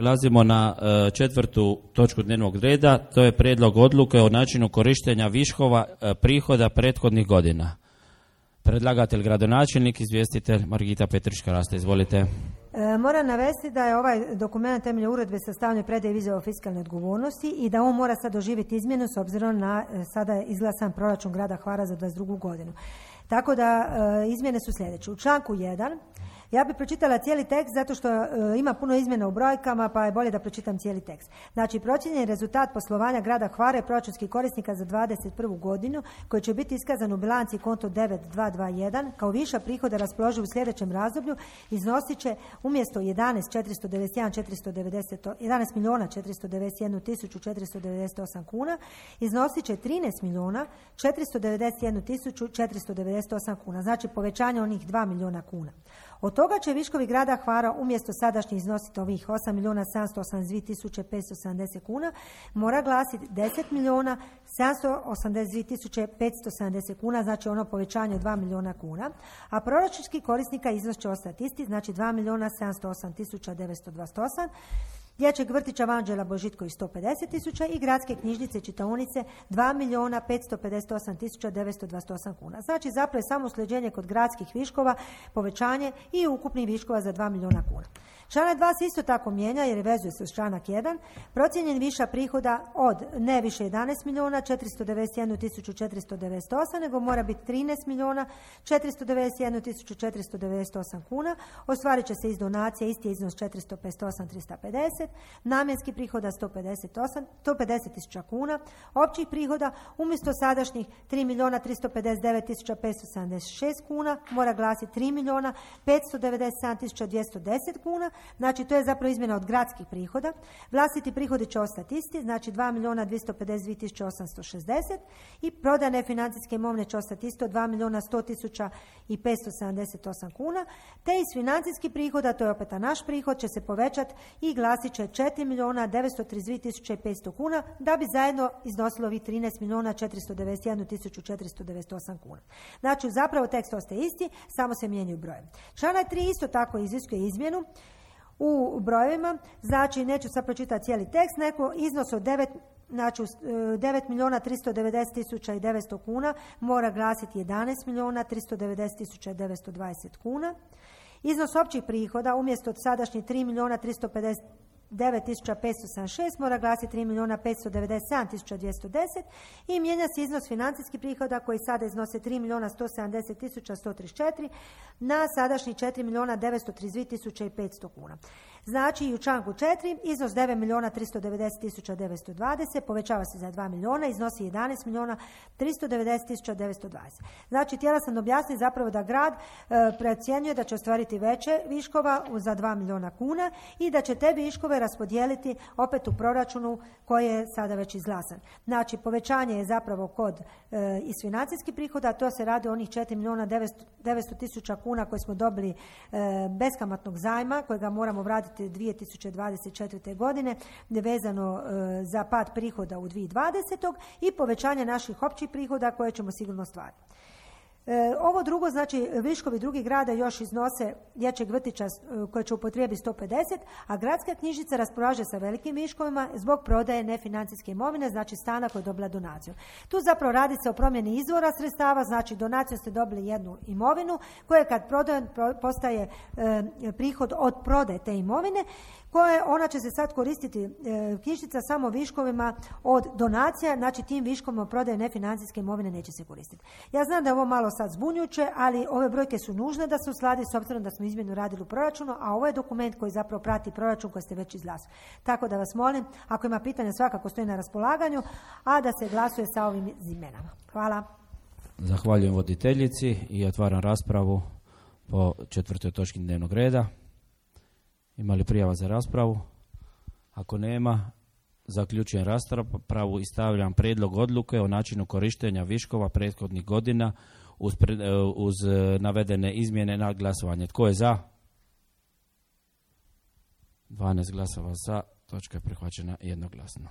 Prelazimo na četvrtu točku dnevnog reda, to je prijedlog odluke o načinu korištenja viškova prihoda prethodnih godina. Predlagatelj gradonačelnik, izvjestitelj Margita Petrička-Rasta, izvolite. Moram navesti da je ovaj dokument temeljem uredbe sastavljen predaje izjave o fiskalnoj odgovornosti i da on mora sad doživjeti izmjenu s obzirom na sada izglasan proračun grada Hvara za 2022. godinu. Tako da izmjene su sljedeće. U članku 1 ja bih pročitala cijeli tekst zato što ima puno izmjena u brojkama, pa je bolje da pročitam cijeli tekst. Znači, procijenjeni rezultat poslovanja grada Hvara i proračunskih korisnika za 2021. godinu koji će biti iskazan u bilanci konto 9221 kao viša prihoda raspoloživ u sljedećem razdoblju iznosit će umjesto 11.491.498 kuna iznosit će 13.491.498 kuna. Znači povećanje onih 2 milijuna kuna. Od toga će viškovi grada Hvara umjesto sadašnjih iznositi ovih 8.782.570 kuna mora glasiti 10.782.570 kuna, znači ono povećanje od 2 milijuna kuna, a proračunski korisnika iznos će ostati isti, znači 2.708.928, dječjeg vrtića Vanđela Božitković 150.000 i gradske knjižnice i čitaonice 2.558.928 kuna. Znači zapravo je samo usklađenje kod gradskih viškova, povećanje i ukupnih viškova za 2 milijuna kuna. Članak 2 se isto tako mijenja jer vezuje se uz članak 1. Procijenjen viša prihoda od ne više 11.491.498 nego mora biti 13.491.498 kuna. Ostvarit će se iz donacije, isti je iznos 458.350, namjenskih prihoda 150.000 kuna, općih prihoda umjesto sadašnjih 3.359.576 kuna mora glasiti 3.597.210 kuna. Znači to je zapravo izmjena od gradskih prihoda. Vlastiti prihodi će ostati isti, znači 2.252.860 i prodane financijske imovine će ostati isto 2.100.578 kuna, te iz financijskih prihoda, to je opet naš prihod, će se povećati i glasit će 4.932.500 kuna da bi zajedno iznosilo ovih 13.491.498 kuna. Znači zapravo tekst ostaje isti, samo se mijenjaju broje. Članak 3 isto tako iziskuje izmjenu u brojevima, znači neću sad pročitati cijeli tekst, neko iznos od 9.390.900 kuna mora glasiti 11.390.920 kuna. Iznos općih prihoda umjesto od sadašnjih 3.359.576 mora glasiti 3.597.210 i mijenja se iznos financijskih prihoda koji sada iznose 3.170.134 na sadašnjih 4.932.500 kuna. Znači i u članku 4 iznos 9.390.920 povećava se za 2 milijuna, iznosi 11.390.920. Znači htjela sam objasniti zapravo da grad procjenjuje da će ostvariti veće viškova za 2 milijuna kuna i da će te viškove raspodijeliti opet u proračunu koji je sada već izglasan. Znači povećanje je zapravo kod iz financijskih prihoda, to se radi o onih 4.900.000 kuna koje smo dobili beskamatnog zajma kojega moramo vratiti 2024. godine vezano za pad prihoda u 2020. i povećanje naših općih prihoda koje ćemo sigurno ostvariti. Ovo drugo, znači viškovi drugih grada još iznose dječjeg vrtića koje će upotrijebiti 150, a gradska knjižnica raspolaže sa velikim viškovima zbog prodaje nefinancijske imovine, znači stana koji je dobila donaciju. Tu zapravo radi se o promjeni izvora sredstava, znači donacijom ste dobili jednu imovinu koja kad prodajem postaje prihod od prodaje te imovine, koje ona će se sad koristiti knjižnica samo viškovima od donacija, znači tim viškovima prodaje nefinancijske imovine neće se koristiti. Ja znam da je ovo malo sad zbunjujuće, ali ove brojke su nužne da se usladi s obzirom da smo izmjenu radili u proračunu, a ovo je dokument koji zapravo prati proračun koji ste već izglasali. Tako da vas molim, ako ima pitanja svakako stoji na raspolaganju, a da se glasuje sa ovim izmjenama. Hvala. Zahvaljujem voditeljici i otvaram raspravu po četvrtoj točki dnevnog reda. Ima li prijava za raspravu? Ako nema, zaključujem raspravu i stavljam prijedlog odluke o načinu korištenja viškova prethodnih godina uz navedene izmjene na glasovanje. Tko je za? 12 glasova za, točka je prihvaćena jednoglasno.